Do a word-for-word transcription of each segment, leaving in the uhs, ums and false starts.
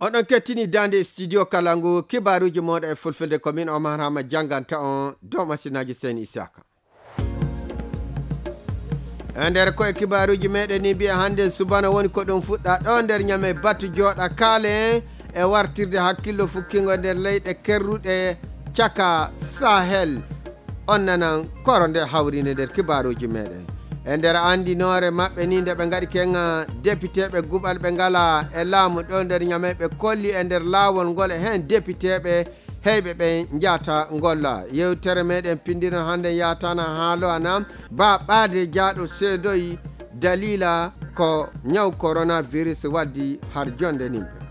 Oɗon kettini daande studio kala ngu, kibaaruuji mooɗon e fulfulde, ko min Omar Hama jannganta on dow masinaaji Seyni Isaka. E nder koye kibaaruuji meɗen ni, mbiya hannde subana woni ko ɗum fuɗɗa ɗo nder Ñame, batu jooɗa kaale e wartirde hakkillo fukkingo nder leyɗe kerruɗe caka Sahel. On nanan koro nde hawrinde nder kibaaruuji meɗen. E nder anndinoore maɓɓe ni, nde ɓe ngaɗi kenga depiteeɓe guɓal ɓe ngala e laamu ɗo nder Ñame, ɓe kolli e nder laawol ngol e heen depiteeɓe heyɓe ɓe njaata ngolla. Yewtere meɗen pindino hannde yaatana haalo ana ba ɓaade jaaɗo seedoyi dalila ko ñaw coronavirus waddi har jonde nimɓe.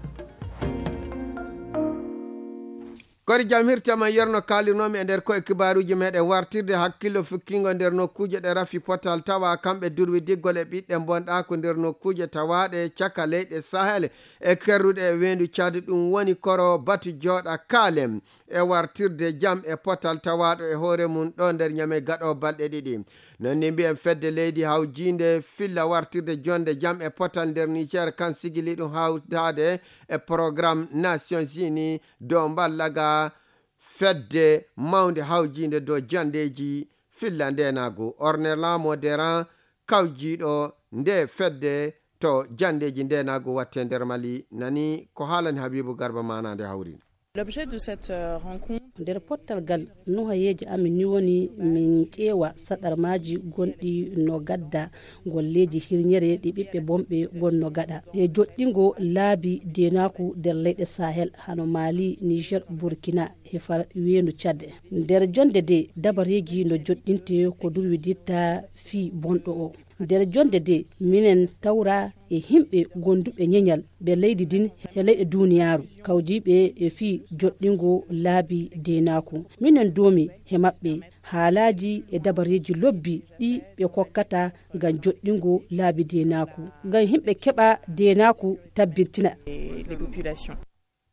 Kori jam hirtama yerno kaalirnomi e nder koye kibaaruuji meɗen wartirde hakkillo fukkingo nder nokkuuje ɗe rafi potal tawa kamɓe durwi diggol e ɓiɗɗe bonɗaako nder nokkuuje tawaaɗe caka leyɗe Sahel e kerruɗe e weendu Caadi, ɗum woni koro batu jooɗa kaalem e wartirde jam e potal tawaaɗo e hoore mum ɗo nder Ñame gaɗo balɗe ɗiɗi. Non ni mbiyen fedde leydi hawjiinde filla wartirde jonde jam e potal nder Niger kan sigili ɗum hawtaade e programme Nations Unies dow mballaga fedde mawnde hawjiinde dow jandeeji filla ndeenaagu. Ornella Moderan kawjiiɗo nde fedde to jandeeji ndeenaagu watte nder Mali nani ko haalani Habibu Garba maanaande hawriinde. L'objet de cette euh, rencontre. Nder pottal ngal, nuhayeeji amin ni woni min ƴeewa saɗarmaaji gonɗi no gadda golleeji hirñere ɗi ɓiɓɓe bonɓe gonno gaɗa e joɗɗingo laabi deenaaku nder leyɗe Sahel hano Mali, Niger, Burkina he far weendu Tchad. Nder jonde de dabareeji no joɗɗinte ko durwiditta fii bonɗo o. Nder jonde de minen tawra e himɓe gonduɓe ñeñal ɓe leydi din he leyɗe duniyaaru kawjiiɓe e fii joɗɗingo laabi deenaaku. Minen doomi he maɓɓe haalaaji e dabareeji lobbi ɗi ɓe kokkata ngam joɗɗingo laabi deenaaku, ngam himɓe keɓa deenaaku tabbintina. Et les populations.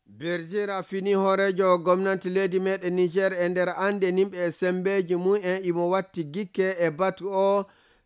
Bergera fini hooreejo gomnanti leydi meɗen Niger e nder annde nimɓe e sembeeji mum en imo watti gikke e batu o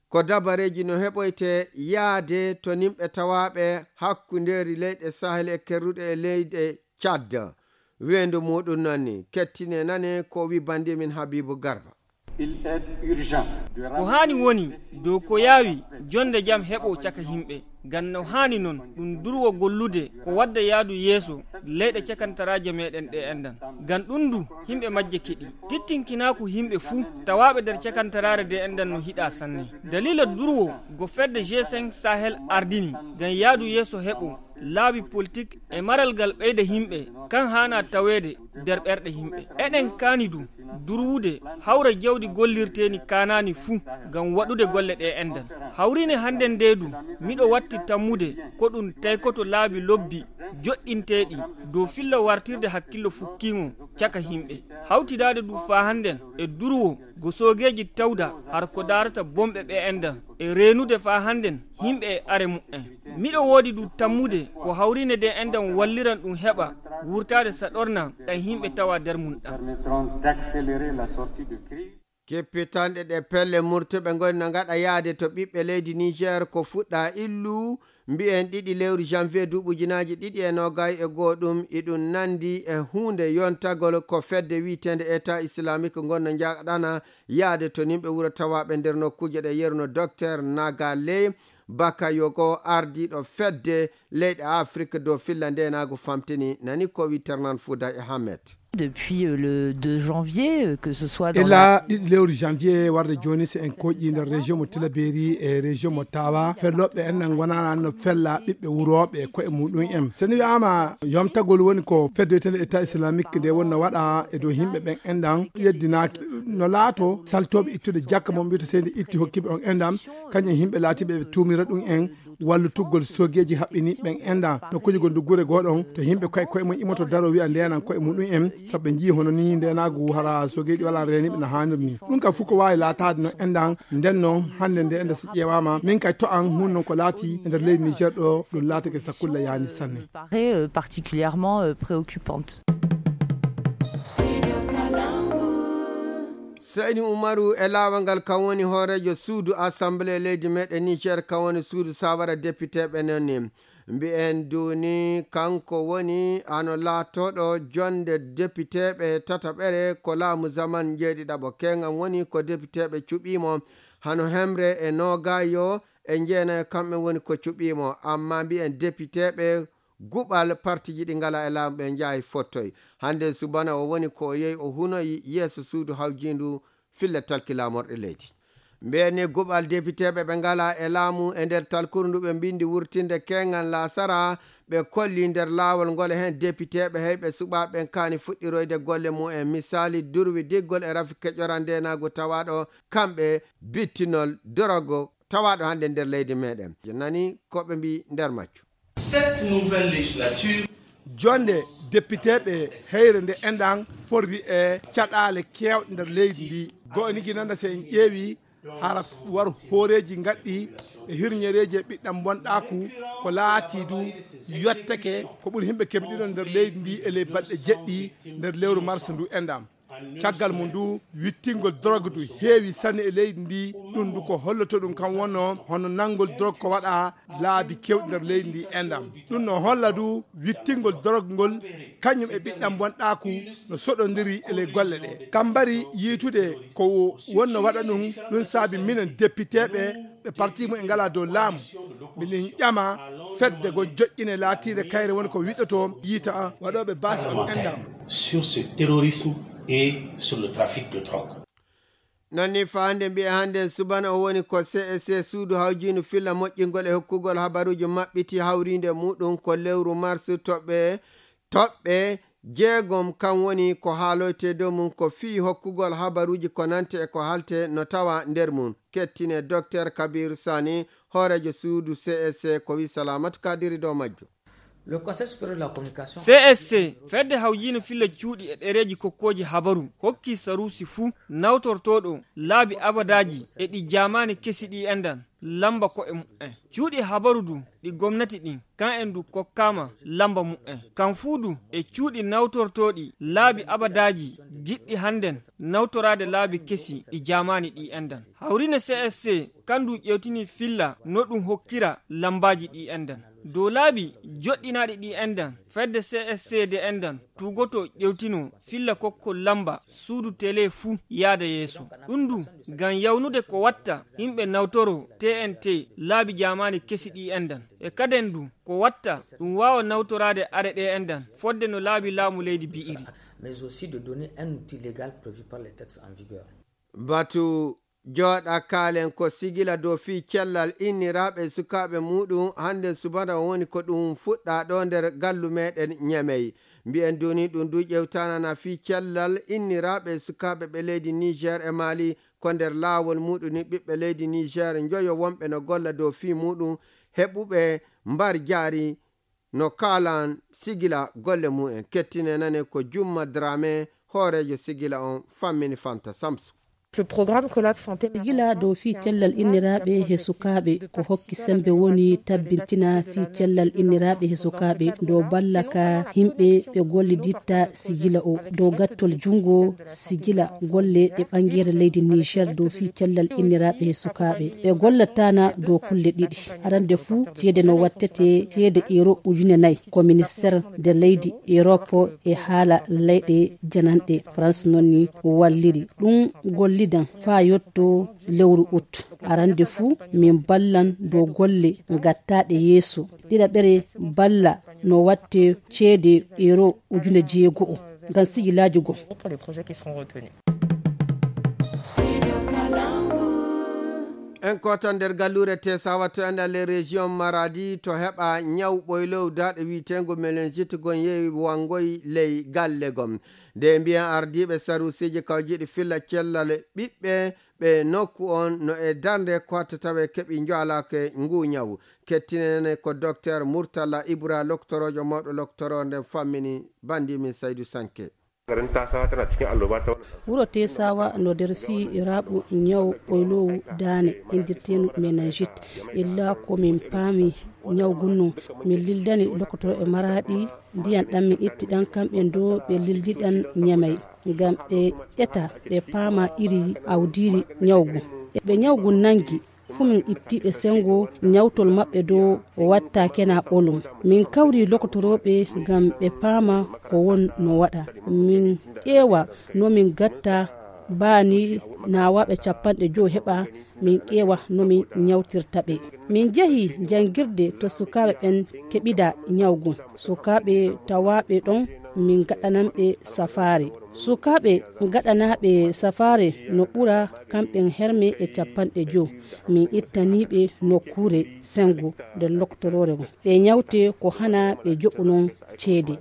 ko dabareeji no heɓoyte yaade to nimɓe tawaaɓe hakkundeeri leyɗe Sahel e kerruɗe e leyɗe Tchad. Weendu muɗum noon ni kettine nane ko wi bandi min Habibu Garba. Il est urgent de Ko haani woni dow ko yaawi jonde jam heɓo caka himɓe. Ngam no haani noon ɗum durwo gollude ko wadda yaadu yeeso leyɗe cakantaraaje meɗen ɗe enɗan. Ngam ɗum du himɓe majje keɗi. Tittinkinaaku himɓe fuu tawaaɓe nder cakantaraare de enɗan no hiɗa sanne. Daliila durwo go fedde G cinq Sahel ardini ngam yaadu yeeso heɓo laabi politik e maral ngal ɓeyda himɓe kan haana taweede nder ɓerɗe himɓe. Eɗen kaani du durwude hawra jawdi gollirteeni kaanaani fuu ngam waɗude golle ɗe enɗan. Hawriine hannden nde du miɗo watti tammude ko ɗum taykoto laabi lobbi joɗɗinteeɗi dow fillo wartirde hakkillo fukkiingo caka himɓe. Hawtidaade du faa hannden e durwo go soogeeji tawda har ko daarata bomɓe ɓe enɗan e reenude faa hannden himɓe e are mu'en. Miɗo woodi du tammude ko hawriine de enɗan walliran ɗum heɓa wurtaade saɗorna ɗan himɓe tawa nder mum ɗan. Permettront d'accélérer la sortie de crise. Keppitanɗe ɗe pelle murtuɓe ngoni no ngaɗa yaade to ɓiɓɓe leydi Niger ko fuɗɗa illu mbiyen ɗiɗi lewru janvier duuɓi ujunaaji ɗiɗi e noogay e goo, ɗum iɗum nandi e huunde yontagol ko fedde wi'eteende État Islamique ngonno njaɗana yaade to nimɓe wuro tawaaɓe nder nokkuuje ɗe yeruno. Docteur Nagale Bakayogo, ardiiɗo fedde leyɗe Afrik dow filla ndeenaagu famtini nani ko wi Ternan Fouda e Hamed. Depuis euh, le deux janvier, euh, que ce soit dans Ila la ɗiɗi lewru janvier warde jooni, si en koƴƴi nder région mo Tilaberi e région mo Tawa, fellooɓe en nan ngonana no fella ɓiɓɓe wurooɓe e koye muɗum en. So ni wiyaama yomtagol woni ko fedde wi'eteende État Islamique nde wonno waɗa e dow yimɓe ɓen enɗan yeddinaaki. No laato saltooɓe ittude jakka mo mbiyata seydi itti hokkiiɓe on enɗan, kañum e yimɓe laatiiɓe ɓe tuumira ɗum en wallitugol soogeeji haɓɓiniiɓe ɓen enɗan nokkuuji gonɗi gure goo ɗon to yimɓe koye koye mum imoto daro wiya ndeenan koye muɗum en, sabu ɓe njii hono ni ndeenaagu hara soogeeji walaa reeniiɓe no haaniri ni. Ɗum kam fof ko waawi laataade no enɗan nden noon hannde nde enɗan so ƴeewaama min kay to an hun noon ko laati e nder leydi Niger ɗo ɗum laatake sakulla yaani sanne. Paraît euh, particulièrement euh, préoccupante. Seyni Umaru e laawol ngal kan woni hooreejo suudu Assemblée leydi meɗen Niger, kan woni suudu sawara depiteeɓe noon ni. Mbiyen duuni kanko woni hano laatooɗo jonde depiteeɓe tataɓere ko laamu zaman njeeɗiɗaɓo. Keeŋan woni ko depiteeɓe cuɓiimo hano hemre e noogayo e jeenayo, kamɓe woni ko cuɓiimo. Amma mbiyen depiteeɓe guɓal partiji ɗi ngala e laamu ɓe njaayi fottoy. Hannde subana o woni ko o yehi o hunoyi yeeso suudu hawjiindu filla talki laamorɗe leydi. Mbiyen ni guɓal depiteeɓe ɓe ngala e laamu e nder talkuru ndu ɓe mbindi wurtinde keeŋan laasara, ɓe kolli nder laawol ngol e heen depiteeɓe heyɓe suɓaaɓe ɓen kaani fuɗɗiroyde golle mum en. Misaali durwi diggol e rafi keƴoran ndeenaagu tawaaɗo kamɓe bittinol dorogo tawaaɗo hannde nder leydi meɗen. Nani ko ɓe mbi nder majju. Cette nouvelle législature. Jonde depiteeɓe heyre nde enɗan forri e caɗaale keewɗe nder leydi ndi. Go'o nigi nana se en ƴeewi hara war hooreeji ngaɗɗi e hirñereeji e ɓiɗɗam bonɗaaku ko laati du yottake ko ɓuri himɓe keɓe ɗiɗon nder leydi ndi e ley balɗe jeɗɗi nder lewru mars ndu enɗam. Caggal mum ndu wittingol drogue du heewi sanne e leydi ndi. Ɗum du ko holloto ɗum kam wonno hono nanngol drogue ko waɗa laabi kewɗi nder leydi ndi enɗam. Ɗum no holla du wittingol drogue ngol kañum e ɓiɗɗam bonɗaaku no soɗondiri e ley golle ɗe. Kam mbari yiitude ko wonno waɗa ɗum. Ɗum saabi minen depiteeɓe ɓe parti mum e ngala dow laamu, miɗen ƴama fedde gon joƴƴine laatiinde kayre woni ko wiɗɗoto yiita waɗooɓe baasi on enɗam. Sur ce terrorisme et sur le trafic de drogue. Non ni faande mbiye hannde subana o woni ko C S C suudu hawjiinu filla moƴƴingol e hokkugol habaruuji maɓɓiti hawriinde muɗum ko lewru mars toɓɓe toɓɓe jeegom kan woni ko haaloyte dow mum ko fii hokkugol habaruuji ko nante e ko halte no tawa nder mum. Kettine Docteur Kabir Sani, hooreejo suudu C S C ko wi Salamatu Kadiri dow majjo. Le Conseil supérieur de la communication. C S C, fedde hawjiino filla cuuɗi e ɗereeji kokkooji habaru, hokki saruusi fuu nawtortooɗo laabi abadaaji e ɗi jaamaani kesi ɗi enɗan lamba ko'e mu'en. Cuuɗi habaru du ɗi gomnati ɗin, kan en du kokkaama lamba mu'en. Kan fuu du e cuuɗi nawtortooɗi laabi abadaaji giɗɗi hannden nawtoraade laabi kesi ɗi jaamaani ɗi enɗan. Hawriine C S C kan du ƴewtini filla no ɗum hokkira lambaaji ɗi enɗan. Dow laabi joɗɗinaaɗi ɗi enɗan, fedde C S C de enɗan tuugoto ƴewtino filla kokkol lamba suudu tele fuu yaada yeeso. Ɗum du ngam yawnude ko watta yimɓe nawtoro T N T laabi jaamaani kesi ɗi enɗan. E kaden du ko watta ɗum waawa nawtoraade are ɗe enɗan fodde no laabi laamu leydi bi'iri. Mais aussi de donner un outil légal prévu par les textes en vigueur. Batu jooɗa kaalen ko sigila dow fii cellal inniraaɓe e sukaaɓe muuɗum. Hannden subana o woni ko ɗum fuɗɗaa ɗo nder gallu meɗen Ñamey. Mbiyen duni ɗum du ƴewtanana fii cellal inniraaɓe e sukaaɓe ɓe leydi Niger e Mali ko nder laawol muuɗum ni ɓiɓɓe leydi Niger njoyo wonɓe no golla dow fii muuɗum heɓuɓe mbar jaari no kaalan sigila golle mumen. Kettine nane ko Jumma Drame, hooreejo sigila on fammini Fanta Samsu. Le programme Collab Santé. Sigila dow fii cellal inniraaɓe he sukaaɓe ko hokki sembe woni tabbintina fii cellal inniraaɓe he sukaaɓe dow balla ka himɓe ɓe golliditta sigila o dow gattol junngo sigila golle ɗe ɓangere leydi Niger dow fii cellal inniraaɓe he sukaaɓe. Ɓe gollattana dow kulle ɗiɗi. Arande fuu ceede no wattete ceede euro ujune nayi ko ministère de leydi Europe e haala leyɗe jananɗe France noon ni walliri. Ɗum gollidan faa yotto lewru ut. Arande fuu min ballan dow golle gattaaɗe yeeso. Ɗiɗaɓere balla no watte ceede euro ujune jeego'o ngam sigilaaji goo. En koto nder galluure Tesawa to enɗan ley région Maradi to heɓa ñaw ɓoylow daaɗe wiyeteengo meningite gon yehi wangoy ley galle gom. Nde mbiyen ardiiɓe saruusiiji kawjiiɗi filla cellal ɓiɓɓe ɓe nokku on no e darnde ko hatta tawe keɓi njoalaake nguu ñaw. Kettinene ko Docteur Murtala Ibra, loktoroojo mawɗo loktoroo nden fammini banndiimin Saydu Sanke. Garin Tasawa tana cikin alloba ta wannan. Wuro Tesawa no nder fii raɓu ñaw ɓoyloowu daane inndirteenu meningite. Illa ko min paami ñaw gunno, min lildani lokotoro e Maraaɗi ndiyan ɗan min itti ɗan kamɓe ɗo ɓe lildiɗan Ñamey. Ngam ɓe ƴeta ɓe paama iri awdiiri ñaw gun. E ɓe ñaw gun nangi Fof min ittii ɓe senngo, ñawtol maɓɓe dow watta kena ɓolum. Min kawri lokotorooɓe ngam ɓe paama ko won no waɗa. Min ƴeewa no min gatta baani naawaaɓe capanɗe jowo heɓa, min ƴeewa no min ñawtirta ɓe. Min njehi janngirde to sukaaɓe ɓen keɓida ñawgu. Sukaaɓe tawaaɓe ɗon, min gaɗanan ɓe safaare. Sukaaɓe gaɗanaaɓe safaare no ɓura kamɓen herme e capanɗe jowo. Min ittanii ɓe nokkuure senngo nder loktoroore ngon. Ɓe ñawte ko hana ɓe joɓu non ceede.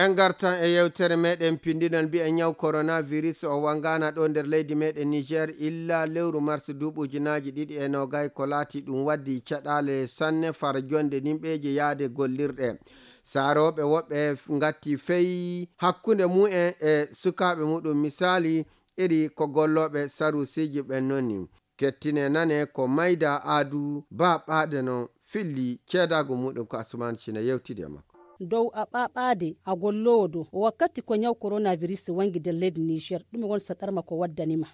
En ngartan e yewtere meɗen pinndinal mbiya ñaw coronavirus o wangana ɗo nder leydi meɗen Niger illa lewru mars duuɓi ujunaaji ɗiɗi e noogay, ko laati ɗum waddi caɗaale sanne far jonde nimɓeeje yaade gollirɗe. Saarooɓe woɓɓe f-, ngatti fey hakkunde mumen e sukaaɓe muɗum. Misaali, iri ko gollooɓe sarusiiji ɓen noni. Kettine nane ko Mayda Aadu Ba Ɓaade no filli ceedaagu muɗum ko Asumaan Cine yewtidi e makko. Dow a ɓaɓaade a golloowo dow wakkati ko ñaw coronavirus wangi nder leydi Niger, ɗum won saɗarma ko waddanima.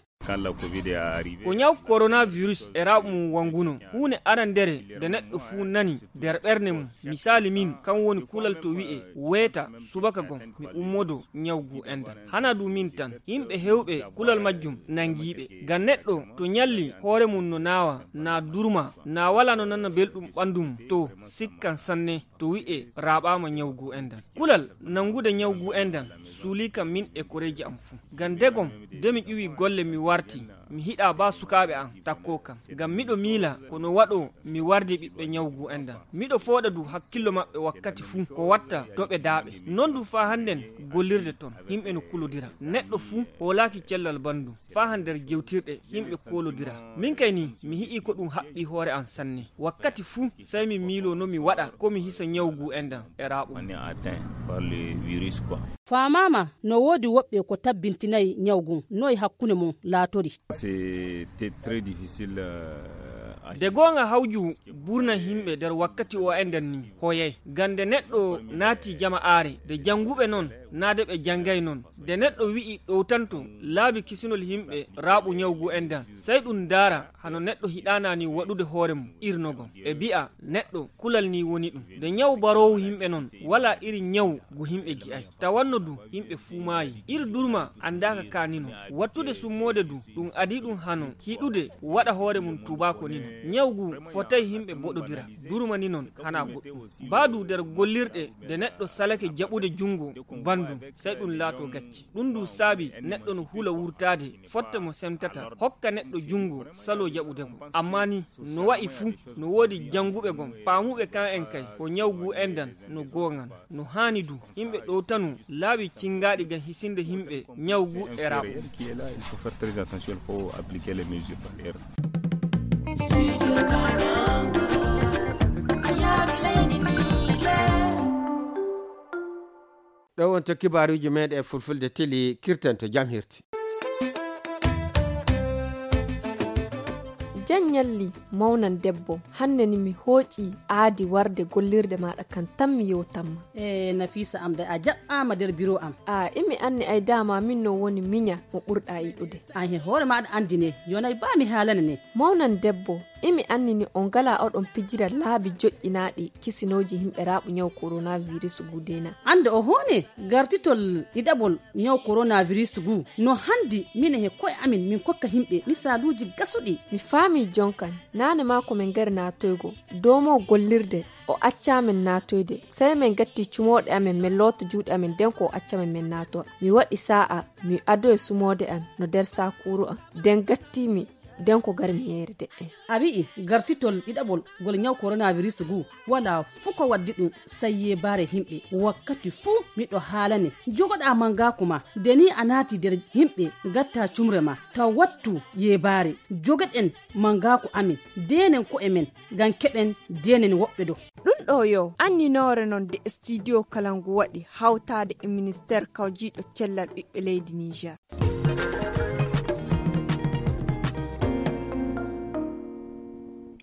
Ko ñaw coronavirus e raaɓu mum wanguno. Huunde arandere nde neɗɗo fuu nani nder ɓernde mum. Misaali min, kan woni kulal to wi'e weeta subaka gom mi ummodo ñaw gu endan. Hana du min tan, yimɓe hewɓe kulal majjum nangiiɓe. Ngam neɗɗo to ñalli hoore mum no naawa, na durma, na wala no nana belɗum ɓandu mum, to sikkan sanne to wi'e raaɓaama ñaw gu endan. Kulal nangude ñaw gu endan suulii kam min e koreeji am fuu. Ngam degom de mi ƴuwi golle mi warti, mi hiɗa ba sukaaɓe am takkoo kam. Ngam miɗo miila ko no waɗoo mi wardi ɓiɓɓe ñaw gu endan. Miɗo fooɗa du hakkillo maɓɓe wakkati fuu ko watta doɓe daaɓe. Non du faa hannden gollirde ton yimɓe no kulodira. Neɗɗo fuu hoolaaki cellal banndum. Faa han nder jewtirɗe yimɓe koolodira. Min kay ni mi hi'i ko ɗum haɓɓi hoore am sanne. Wakkati fuu sey mi miiloo no mi waɗa ko mi hisa ñaw gu endan e raaɓo. Faamaama, no woodi woɓɓe ko tabbintinayi ñaw gun. Noy hakkunde mon laatori? De goonga hawju burna yimɓe nder wakkati o endan ni hoyay. Ngam nde neɗɗo naati jama'aare, de jannguɓe non, naa de ɓe janngay non. Nde neɗɗo wi'i ɗowtanto laabi kisinol yimɓe raaɓu ñaw gu endan, sey ɗum ndaara hano neɗɗo hiɗaana ni waɗude hoore mum irnogol. E bi'a neɗɗo kulal ni woni ɗum. Nde ñaw baroowu yimɓe non, walaa iri ñaw gu yimɓe gi'ay. Tawanno du yimɓe fuu maayi. Iri durma anndaaka ka ni non. Wattude summoode du, ɗum adii ɗum hano hiɗude waɗa hoore mum tubaako ni non. Ñaw gu fotay yimɓe boɗodira. Durma ni non hana goɗɗum. Baa du nder gollirɗe, nde neɗɗo salake jaɓude junngo banndum, sey ɗum laato gacce. Ɗum du saabi neɗɗo no hula wurtaade fotte mo semtata, hokka neɗɗo junngo saloo jaɓude mo. Ammaa ni, no wa'i fuu, no woodi jannguɓe gom, paamuɓe kan en kay, ko ñaw gu endan no goongan. No haani du, yimɓe ɗowtanu laabi cinngaaɗi ngam hisinde yimɓe ñaw gu e raaɓo. Il faut faire très attention, il faut appliquer les mesures barrières. Ɗo wonto kibaaruuji meeɗen e fulfulde tili kirten to jam hirti. Jan ñalli mawnan debbo, hannde ni mi hooƴi aadi warde gollirde maaɗa kan tan mi yewtanma. E Nafiisa am de a jaɓɓaama nder biro am. A imi anni ay dama min no woni miña mo ɓurɗa yiɗude. An he hoore maaɗa anndi ne, yonay ba mi haalane ne. Mawnan debbo, imi anni ni on ngala oɗon pijira laabi joƴƴinaaɗi kisinooji yimɓe raaɓu ñaw coronavirus gu dena. Annde o hoone gartitol ɗiɗaɓol ñaw coronavirus gu no hanndi mine he ko'e amin min kokka yimɓe misaaluuji gasuɗi. Mi faami jonkan, naane maa ko min ngari naatoygo, doomo gollirde o accaa min naatoyde, sey min gatti cumooɗe amin min loota juuɗe amin nden ko o acca min min naatowa. Mi waɗi saa'a, mi adoye sumoode an no nder saakuuru an, nden gatti mi nden ko gari mi yeere de'en. A wi'i gartitol ɗiɗaɓol ngol ñaw coronavirus gu wala fuu ko waddi ɗum sey yeebaare yimɓe. Wakkati fuu miɗo haalane jogoɗaa mangaaku ma, nde ni a naati nder yimɓe ngatta cumre ma, taw wattu yeebaare. Jogoɗen mangaaku amin, deenen ko'e men ngam keɓen deenen woɓɓe dow. Ɗum ɗo yo anninoore non nde studio kala ngu waɗi hawtaade e ministeer kawjiiɗo cellal ɓiɓɓe leydi Niger.